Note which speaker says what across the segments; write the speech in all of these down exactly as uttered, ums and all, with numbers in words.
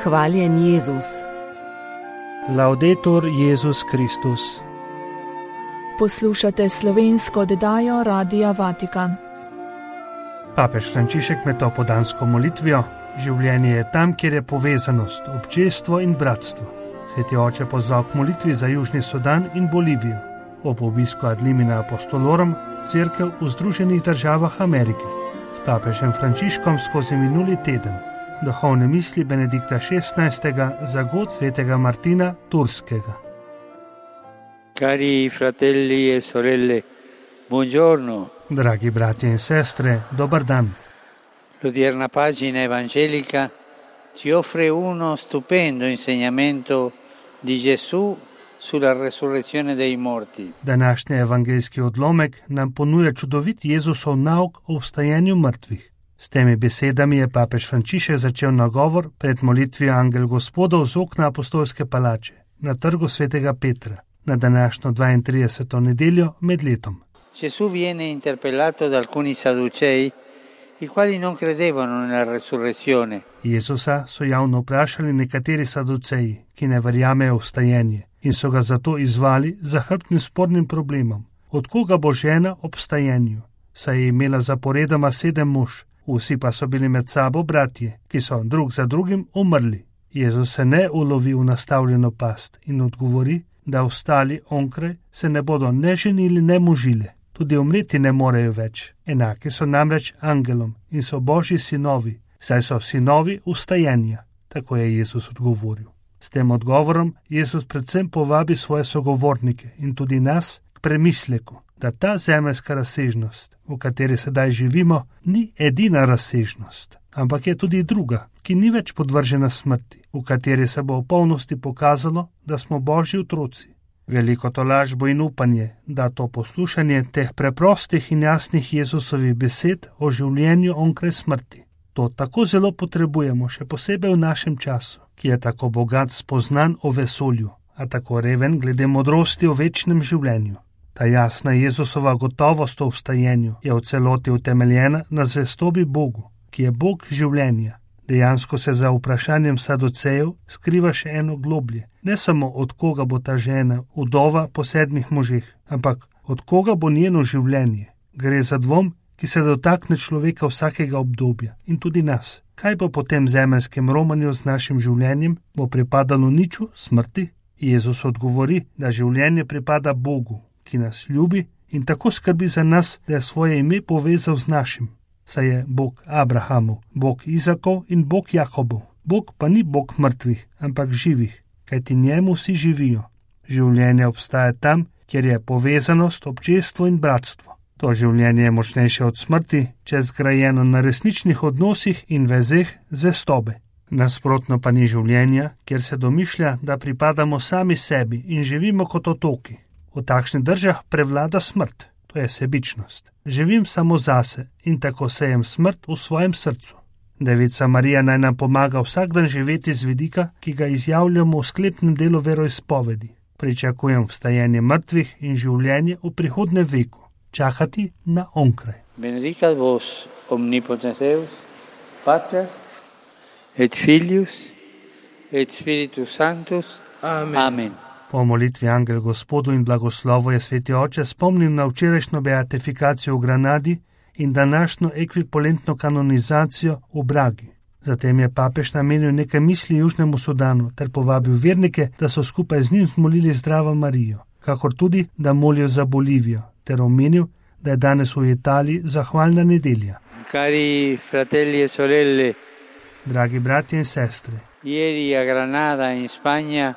Speaker 1: Hvaljen Jezus.
Speaker 2: Laudetur Jezus Kristus.
Speaker 3: Poslušate slovensko oddajo Radia Vatikan.
Speaker 2: Papež Frančišek med opoldansko molitvijo: življenje je tam, kjer je povezanost, občestvo in bratstvo. Sveti oče pozval k molitvi za Južni Sudan in Bolivijo. Ob obisku ad limina apostolorum cerkev v Združenih državah Amerike s papežem Frančiškom skozi minuli teden. Duhovne misli Benedikta šestnajstega za god svetega Martina Turskega.
Speaker 4: Cari fratelli e sorelle, buongiorno.
Speaker 2: Dragi bratje in sestre, dober dan.
Speaker 4: L'odierna pagina evangelica ci offre uno stupendo insegnamento di Gesù sulla resurrezione dei morti.
Speaker 2: Današnji evangeljski odlomek nam ponuja čudovit Jezusov nauk o vstajenju mrtvih. S temi besedami je papež Frančišek začel nagovor pred molitvijo Angel Gospodov z okna apostolske palače na trgu svetega Petra na današnjo dvaintrideseto nedeljo med letom.
Speaker 4: Gesù viene interpellato da alcuni sadducei, i quali non credevano nella resurrezione.
Speaker 2: Jezusa so javno vprašali nekateri saduceji, ki ne verjamejo v vstajenje, in so ga zato izvali za hrbtnim spornim problemom. Od koga bo žena ob vstajenju? Saj je imela zaporedoma sedem mož, vsi pa so bili med sabo bratje, ki so drug za drugim umrli. Jezus se ne ulovi v nastavljeno past in odgovori, da ostali onkraj se ne bodo ne ženili, ne mužile. Tudi umreti ne morejo več. Enaki so namreč angelom in so Božji sinovi, saj so sinovi vstajenja. Tako je Jezus odgovoril. S tem odgovorom Jezus predvsem povabi svoje sogovornike in tudi nas k premisleku, da ta zemeljska razsežnost, v kateri sedaj živimo, ni edina razsežnost, ampak je tudi druga, ki ni več podvržena smrti, v kateri se bo v polnosti pokazalo, da smo Božji otroci. Veliko tolažbo in upanje, da to poslušanje teh preprostih in jasnih Jezusovih besed o življenju onkraj smrti. To tako zelo potrebujemo, še posebej v našem času, ki je tako bogat spoznan o vesolju, a tako reven glede modrosti o večnem življenju. Ta jasna Jezusova gotovost o vstajenju je v celoti utemeljena na zvestobi Bogu, ki je Bog življenja. Dejansko se za vprašanjem saducejev skriva še eno globlje. Ne samo od koga bo ta žena, vdova po sedmih možih, ampak od koga bo njeno življenje. Gre za dvom, ki se dotakne človeka vsakega obdobja in tudi nas. Kaj bo po tem zemeljskem romanju z našim življenjem? Bo pripadalo niču, smrti? Jezus odgovori, da življenje pripada Bogu, ki nas ljubi in tako skrbi za nas, da je svoje ime povezal z našim. Saj je Bog Abrahamov, Bog Izakov in Bog Jakobov. Bog pa ni Bog mrtvih, ampak živih, kajti njemu vsi živijo. Življenje obstaja tam, kjer je povezanost, občestvo in bratstvo. To življenje je močnejše od smrti, če je zgrajeno na resničnih odnosih in vezeh zvestobe. Nasprotno pa ni življenja, kjer se domišlja, da pripadamo sami sebi in živimo kot otoki. V takšnih državah prevlada smrt, to je sebičnost. Živim samo zase in tako sejem smrt v svojem srcu. Devica Marija naj nam pomaga vsak dan živeti z vidika, ki ga izjavljamo v sklepnem delu veroizpovedi. Pričakujem vstajenje mrtvih in življenje v prihodnje veku. Čakati na onkraj.
Speaker 4: Benedicat vos omnipotens Deus, Pater et Filius et Spiritus Sanctus. Amen. Amen.
Speaker 2: Po molitvi Angel Gospodu in blagoslovu je sveti oče spomnil na včerajšnjo beatifikacijo v Granadi in današnjo ekvivalentno kanonizacijo v Bragi. Zatem je papež namenil nekaj misli Južnemu Sudanu ter povabil vernike, da so skupaj z njim zmolili Zdravo Marijo, kakor tudi, da molijo za Bolivijo, ter omenil, da je danes v Italiji zahvalna nedelja.
Speaker 4: Cari fratelli e sorelle,
Speaker 2: dragi bratje in sestre,
Speaker 4: ieri a Granada in Spagna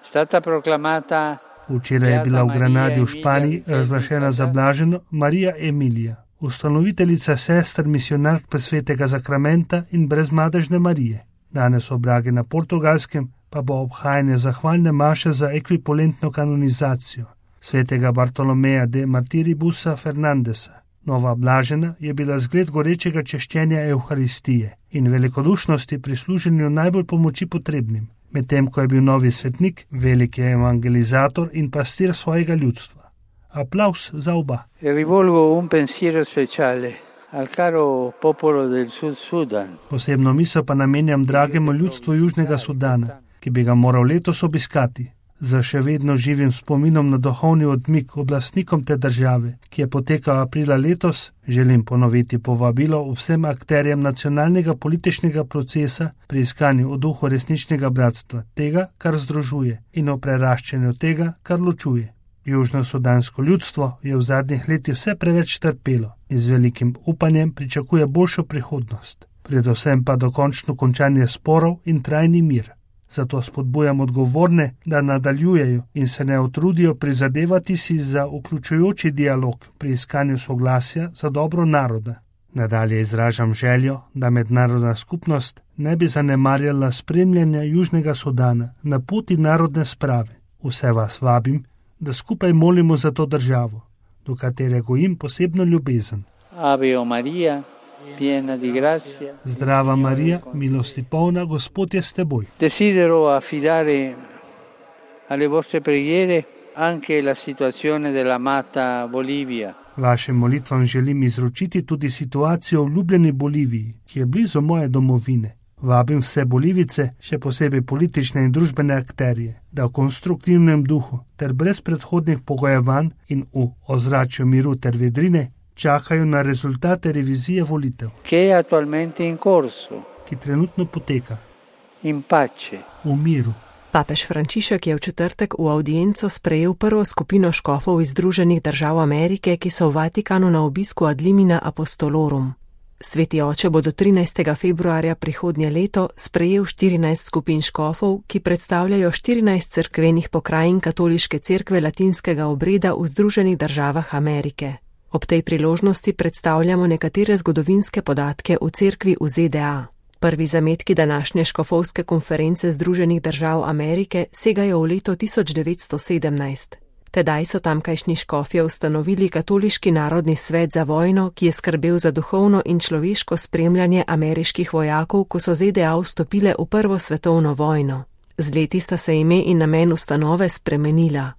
Speaker 4: stata proclamata.
Speaker 2: Včeraj je bila v Granadi v Španiji razglašena za blaženo Marija Emilija, ustanoviteljica sester misionark presvetega zakramenta in brezmadežne Marije. Danes v Bragi na Portugalskem pa bo obhajanje zahvalne maše za ekvivalentno kanonizacijo svetega Bartolomeja de Martiribusa Fernandesa. Nova blažena je bila zgled gorečega češčenja Evharistije in velikodušnosti pri služenju najbolj pomoči potrebnim, medtem ko je bil novi svetnik veliki evangelizator in pastir svojega ljudstva. Aplavz za oba.
Speaker 4: Rivolgo un pensiero speciale al caro popolo del Sud Sudan.
Speaker 2: Posebno misel pa namenjam dragemu ljudstvu Južnega Sudana, ki bi ga moral letos obiskati. Za še vedno živim spominom na duhovni odmik oblastnikom te države, ki je potekal aprila letos, želim ponoviti povabilo vsem akterjem nacionalnega političnega procesa pri iskanju o duhu resničnega bratstva, tega, kar združuje, in o preraščanju tega, kar ločuje. Južno-sudansko ljudstvo je v zadnjih letih vse preveč trpelo in z velikim upanjem pričakuje boljšo prihodnost, predvsem pa dokončno končanje sporov in trajni mir. Zato spodbujam odgovorne, da nadaljujejo in se ne utrudijo prizadevati si za vključujoči dialog pri iskanju soglasja za dobro naroda. Nadalje izražam željo, da mednarodna skupnost ne bi zanemarjala spremljanja Južnega Sudana na poti narodne sprave. Vse vas vabim, da skupaj molimo za to državo, do katere gojim posebno ljubezen.
Speaker 4: Ave Maria, piena di grazia.
Speaker 2: Zdrava Marija, milosti polna, Gospod je s teboj.
Speaker 4: Desidero affidare alle vostre preghiere anche la situazione dell'amata Bolivia.
Speaker 2: Vašim molitvam želim izročiti tudi situacijo v ljubljeni Boliviji, ki je blizu moje domovine. Vabim vse Bolivice, še posebej politične in družbene akterje, da v konstruktivnem duhu ter brez predhodnih pogojevanj in v ozračju miru ter vedrine čakajo na rezultate revizije volitev,
Speaker 4: che è attualmente in corso,
Speaker 2: ki trenutno poteka
Speaker 4: in pace,
Speaker 2: v miru.
Speaker 1: Papež Frančišek je v četrtek v avdienco sprejel prvo skupino škofov iz Združenih držav Amerike, ki so v Vatikanu na obisku ad limina apostolorum. Sveti oče bo do trinajstega februarja prihodnje leto sprejel štirinajst skupin škofov, ki predstavljajo štirinajst cerkvenih pokrajin katoliške cerkve latinskega obreda v Združenih državah Amerike. Ob tej priložnosti predstavljamo nekatere zgodovinske podatke v cerkvi v Z D A. Prvi zametki današnje škofovske konference Združenih držav Amerike segajo v leto tisoč devetsto sedemnajst. Tedaj so tamkajšnji škofje ustanovili Katoliški narodni svet za vojno, ki je skrbel za duhovno in človeško spremljanje ameriških vojakov, ko so Z D A vstopile v prvo svetovno vojno. Z leti sta se ime in namen ustanove spremenila.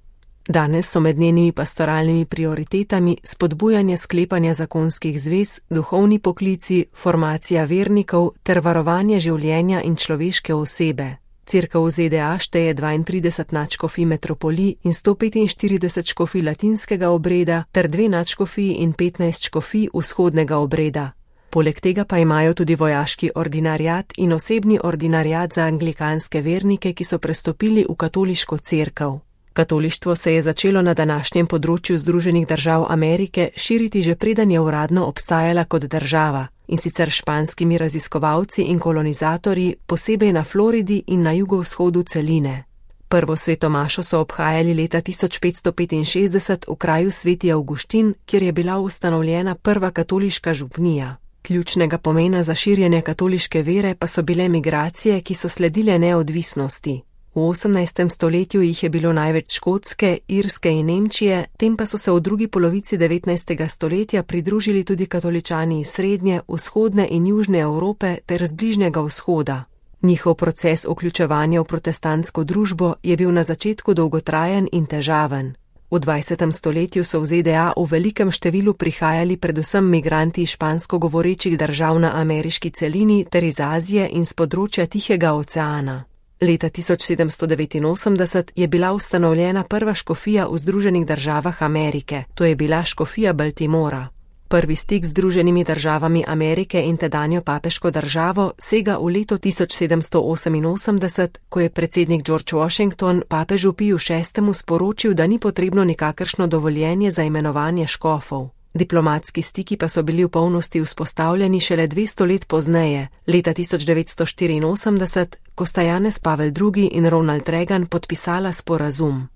Speaker 1: Danes so med njenimi pastoralnimi prioritetami spodbujanje sklepanja zakonskih zvez, duhovni poklici, formacija vernikov ter varovanje življenja in človeške osebe. Cerkev v Z D A šteje dvaintrideset nadškofij metropolij in sto petinštirideset škofij latinskega obreda ter dve nadškofiji in petnajst škofij vzhodnega obreda. Poleg tega pa imajo tudi vojaški ordinariat in osebni ordinariat za anglikanske vernike, ki so prestopili v katoliško cerkev. Katolištvo se je začelo na današnjem področju Združenih držav Amerike širiti že preden je uradno obstajala kot država, in sicer španskimi raziskovalci in kolonizatorji, posebej na Floridi in na jugovzhodu celine. Prvo sveto mašo so obhajali leta tisoč petsto petinšestdeset v kraju Sveti Avguštin, kjer je bila ustanovljena prva katoliška župnija. Ključnega pomena za širjenje katoliške vere pa so bile migracije, ki so sledile neodvisnosti. V osemnajstem stoletju jih je bilo največ Škotske, Irske in Nemčije, tem pa so se v drugi polovici devetnajstega stoletja pridružili tudi katoličani iz srednje, vzhodne in južne Evrope ter z bližnjega vzhoda. Njihov proces vključevanja v protestantsko družbo je bil na začetku dolgotrajen in težaven. V dvajsetem stoletju so v Z D A v velikem številu prihajali predvsem migranti iz špansko govorečih držav na ameriški celini ter iz Azije in z področja Tihega oceana. Leta tisoč sedemsto devetinosemdeset je bila ustanovljena prva škofija v Združenih državah Amerike, to je bila škofija Baltimora. Prvi stik z Združenimi državami Amerike in tedanjo papeško državo sega v leto tisoč sedemsto oseminosemdeset, ko je predsednik George Washington papežu Piju šestemu sporočil, da ni potrebno nikakršno dovoljenje za imenovanje škofov. Diplomatski stiki pa so bili v polnosti vzpostavljeni šele dvesto let pozneje, leta tisoč devetsto štiriinosemdeset, ko sta Janez Pavel drugi in Ronald Reagan podpisala sporazum.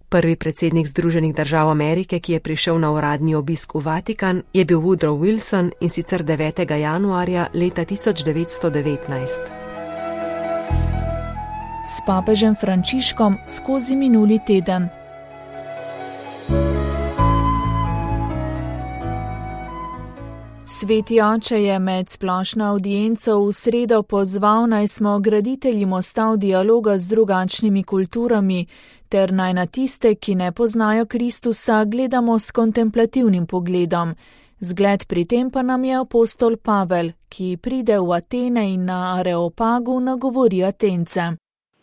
Speaker 1: Prvi predsednik Združenih držav Amerike, ki je prišel na uradni obisk v Vatikan, je bil Woodrow Wilson, in sicer devetega januarja leta tisoč devetsto devetnajst.
Speaker 3: S papežem Frančiškom skozi minuli teden. Sveti oče je med splošno avdienco v sredo pozval, naj smo graditelji mostov dialoga z drugačnimi kulturami, ter naj na tiste, ki ne poznajo Kristusa, gledamo s kontemplativnim pogledom. Zgled pri tem pa nam je apostol Pavel, ki pride v Atene in na Areopagu nagovori Atence.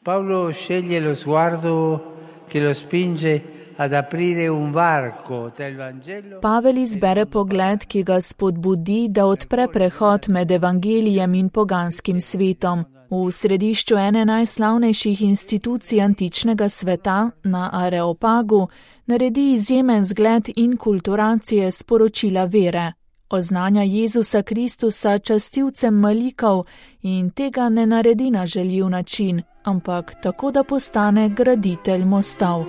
Speaker 4: Paolo sceglie lo sguardo che lo spinge ad aprire un varco tra il Vangelo.
Speaker 3: Pavel izbere pogled, ki ga spodbudi, da odpre prehod med evangelijem in poganskim svetom. V središču ene najslavnejših institucij antičnega sveta, na Areopagu, naredi izjemen zgled in kulturacije sporočila vere. Oznanja Jezusa Kristusa častilcem malikov in tega ne naredi na žaljiv način, ampak tako, da postane graditelj mostov.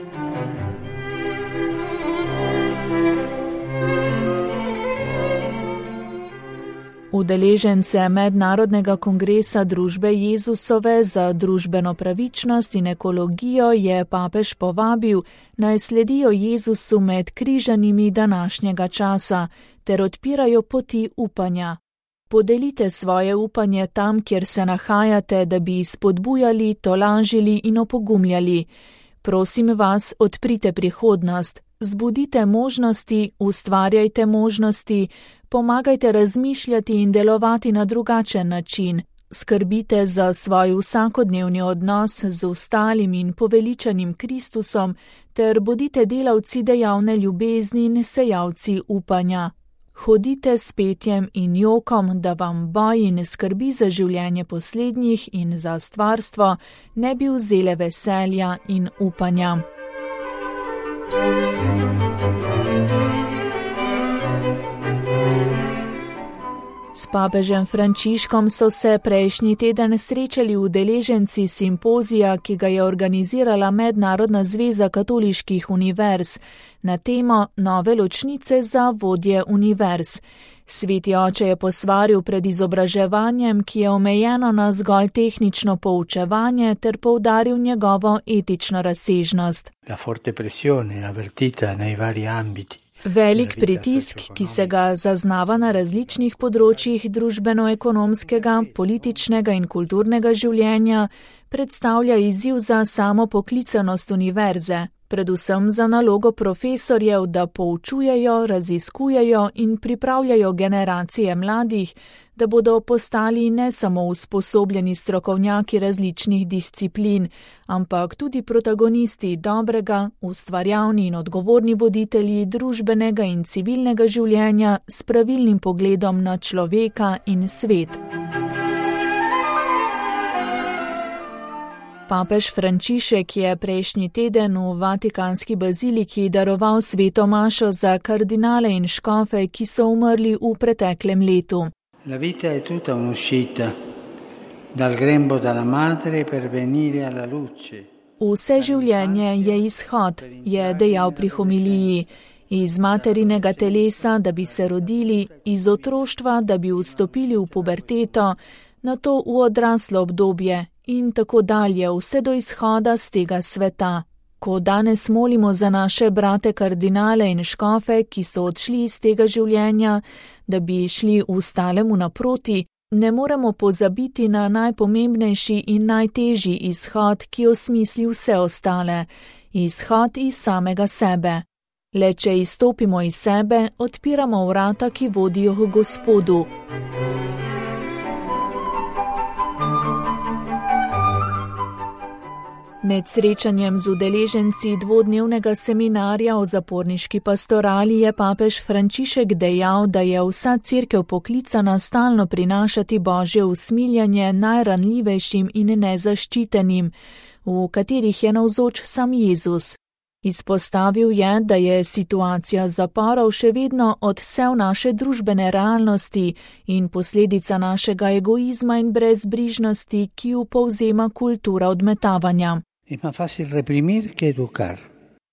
Speaker 3: Udeležence Mednarodnega kongresa družbe Jezusove za družbeno pravičnost in ekologijo je papež povabil, naj sledijo Jezusu med križanimi današnjega časa ter odpirajo poti upanja. Podelite svoje upanje tam, kjer se nahajate, da bi spodbujali, tolažili in opogumljali. Prosim vas, odprite prihodnost, zbudite možnosti, ustvarjajte možnosti, pomagajte razmišljati in delovati na drugačen način, skrbite za svoj vsakodnevni odnos z ostalim in poveličanim Kristusom ter bodite delavci dejavne ljubezni in sejalci upanja. Hodite s petjem in jokom, da vam boj in skrbi za življenje poslednjih in za stvarstvo ne bi vzele veselja in upanja. S papežem Frančiškom so se prejšnji teden srečali udeleženci simpozija, ki ga je organizirala Mednarodna zveza katoliških univerz, na temo Nove ločnice za vodje univerz. Sveti oče je posvaril pred izobraževanjem, ki je omejeno na zgolj tehnično poučevanje, ter poudaril njegovo etično razsežnost.
Speaker 4: La forte pressione avvertita nei vari ambiti.
Speaker 3: Velik pritisk, ki se ga zaznava na različnih področjih družbeno-ekonomskega, političnega in kulturnega življenja, predstavlja izziv za samo poklicanost univerze, predvsem za nalogo profesorjev, da poučujejo, raziskujejo in pripravljajo generacije mladih, da bodo postali ne samo usposobljeni strokovnjaki različnih disciplin, ampak tudi protagonisti dobrega, ustvarjalni in odgovorni voditelji družbenega in civilnega življenja s pravilnim pogledom na človeka in svet. Papež Frančišek je prejšnji teden v Vatikanski baziliki daroval sveto mašo za kardinale in škofe, ki so umrli v preteklem letu.
Speaker 4: La vita è tutta un'uscita dal grembo della madre per venire alla luce.
Speaker 3: Vse življenje je izhod, je dejal pri homiliji, iz materinega telesa, da bi se rodili, iz otroštva, da bi vstopili v puberteto, nato v odraslo obdobje in tako dalje, vse do izhoda z tega sveta. Ko danes molimo za naše brate kardinale in škofe, ki so odšli iz tega življenja, da bi šli v stalemu naproti, ne moremo pozabiti na najpomembnejši in najtežji izhod, ki osmisli vse ostale, izhod iz samega sebe. Le če izstopimo iz sebe, odpiramo vrata, ki vodijo k Gospodu. Med srečanjem z udeleženci dvodnevnega seminarja o zaporniški pastorali je papež Frančišek dejal, da je vsa cerkev poklicana stalno prinašati Božje usmiljanje najranljivejšim in nezaščitenim, v katerih je navzoč sam Jezus. Izpostavil je, da je situacija zaporov še vedno odsev naše družbene realnosti in posledica našega egoizma in brezbrižnosti, ki jo povzema kultura odmetavanja.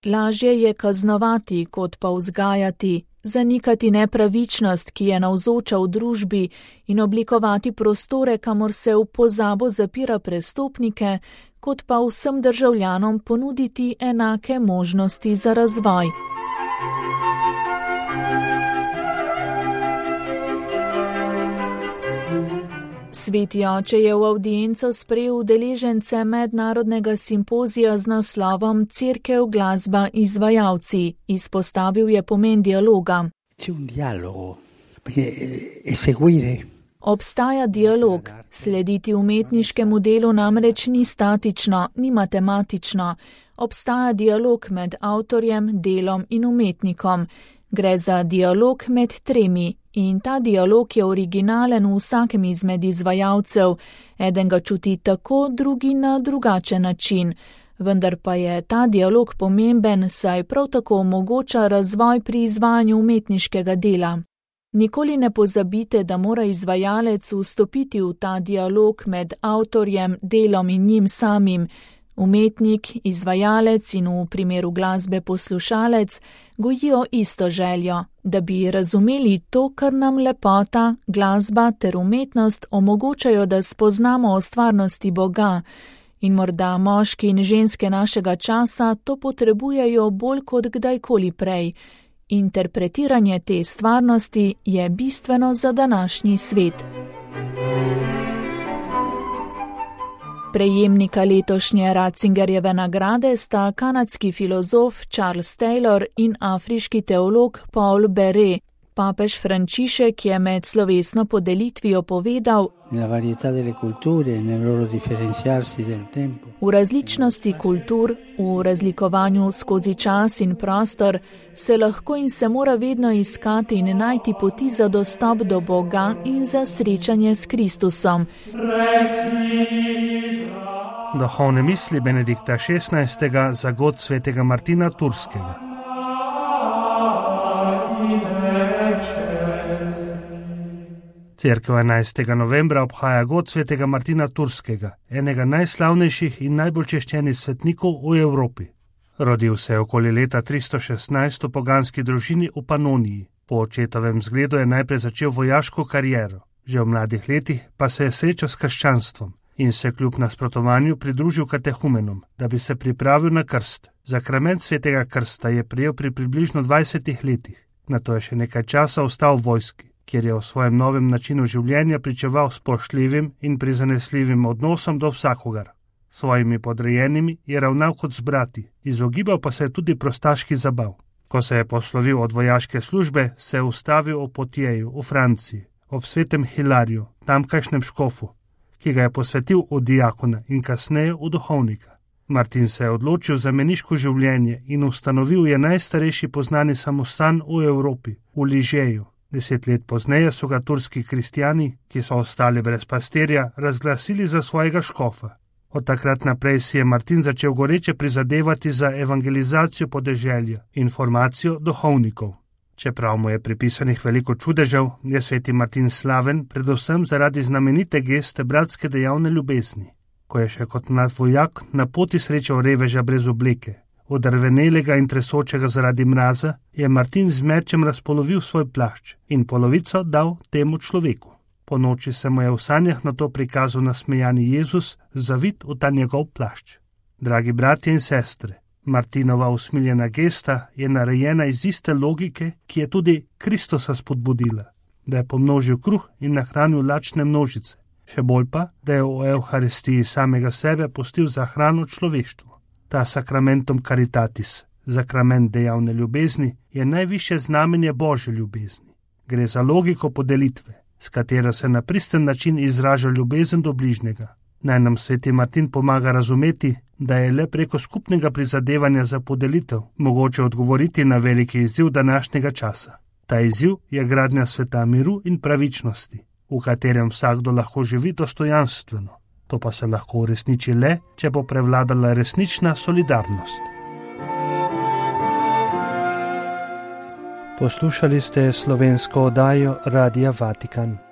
Speaker 3: Lažje je kaznovati, kot pa vzgajati, zanikati nepravičnost, ki je navzoča v družbi, in oblikovati prostore, kamor se v pozabo zapira prestopnike, kot pa vsem državljanom ponuditi enake možnosti za razvoj. Sveti oče je v avdienco sprejel udeležence mednarodnega simpozija z naslovom Cerkev, glasba, izvajalci. Izpostavil je pomen dialoga.
Speaker 4: C'è un dialogo, perché è seguire.
Speaker 3: Obstaja dialog, slediti umetniškemu delu namreč ni statično, ni matematično. Obstaja dialog med avtorjem, delom in umetnikom. Gre za dialog med tremi in ta dialog je originalen v vsakem izmed izvajalcev. Eden ga čuti tako, drugi na drugačen način. Vendar pa je ta dialog pomemben, saj prav tako omogoča razvoj pri izvajanju umetniškega dela. Nikoli ne pozabite, da mora izvajalec vstopiti v ta dialog med avtorjem, delom in njim samim. Umetnik, izvajalec in v primeru glasbe poslušalec gojijo isto željo, da bi razumeli to, kar nam lepota, glasba ter umetnost omogočajo, da spoznamo o stvarnosti Boga. In morda moški in ženske našega časa to potrebujejo bolj kot kdajkoli prej. Interpretiranje te stvarnosti je bistveno za današnji svet. Prejemnika letošnje Ratzingerjeve nagrade sta kanadski filozof Charles Taylor in afriški teolog Paul Beret. Papež Frančišek je med slovesno podelitvijo povedal: V različnosti kultur, v razlikovanju skozi čas in prostor se lahko in se mora vedno iskati in najti poti za dostop do Boga in za srečanje s Kristusom.
Speaker 2: Duhovne misli Benedikta šestnajstega za god svetega Martina Turskega. Cerkev enajstega novembra obhaja god svetega Martina Turskega, enega najslavnejših in najbolj češčenih svetnikov v Evropi. Rodil se je okoli leta tristo šestnajst v poganski družini v Panoniji. Po očetovem zgledu je najprej začel vojaško kariero. Že v mladih letih pa se je srečal s krščanstvom in se kljub nasprotovanju pridružil katehumenom, da bi se pripravil na krst. Zakrament svetega krsta je prejel pri približno dvajsetih letih. Nato je še nekaj časa ostal v vojski, kjer je v svojem novem načinu življenja pričeval spoštljivim in prizanesljivim odnosom do vsakogar. Svojimi podrejenimi je ravnal kot z brati, izogibal pa se je tudi prostaški zabav. Ko se je poslovil od vojaške službe, se je ustavil v Potjeju v Franciji, ob svetem Hilariju, tamkajšnjem škofu, ki ga je posvetil v diakona in kasneje v duhovnika. Martin se je odločil za meniško življenje in ustanovil je najstarejši poznani samostan v Evropi, v Ližeju. Deset let pozneje so ga turski kristjani, ki so ostali brez pastirja, razglasili za svojega škofa. Od takrat naprej si je Martin začel goreče prizadevati za evangelizacijo podeželja in formacijo duhovnikov. Čeprav mu je pripisanih veliko čudežev, je sveti Martin slaven predvsem zaradi znamenite geste bratske dejavne ljubezni. Ko je še kot mlad vojak na poti srečal reveža brez obleke, odrvenelega in tresočega zaradi mraza, je Martin z mečem razpolovil svoj plašč in polovico dal temu človeku. Po noči se mu je v sanjah na to prikazal nasmejani Jezus, zavit v ta njegov plašč. Dragi bratje in sestre, Martinova usmiljena gesta je narejena iz iste logike, ki je tudi Kristusa spodbudila, da je pomnožil kruh in nahranil lačne množice, še bolj pa, da je v Evharistiji samega sebe pustil za hrano človeštvu. Ta sakramentum caritatis, sakrament dejavne ljubezni, je najvišje znamenje Božje ljubezni. Gre za logiko podelitve, s katero se na pristen način izraža ljubezen do bližnjega. Naj nam sveti Martin pomaga razumeti, da je le preko skupnega prizadevanja za podelitev mogoče odgovoriti na veliki izziv današnjega časa. Ta izziv je gradnja sveta miru in pravičnosti, v katerem vsakdo lahko živi dostojanstveno. To pa se lahko uresniči le, če bo prevladala resnična solidarnost. Poslušali ste slovensko oddajo Radia Vatikan.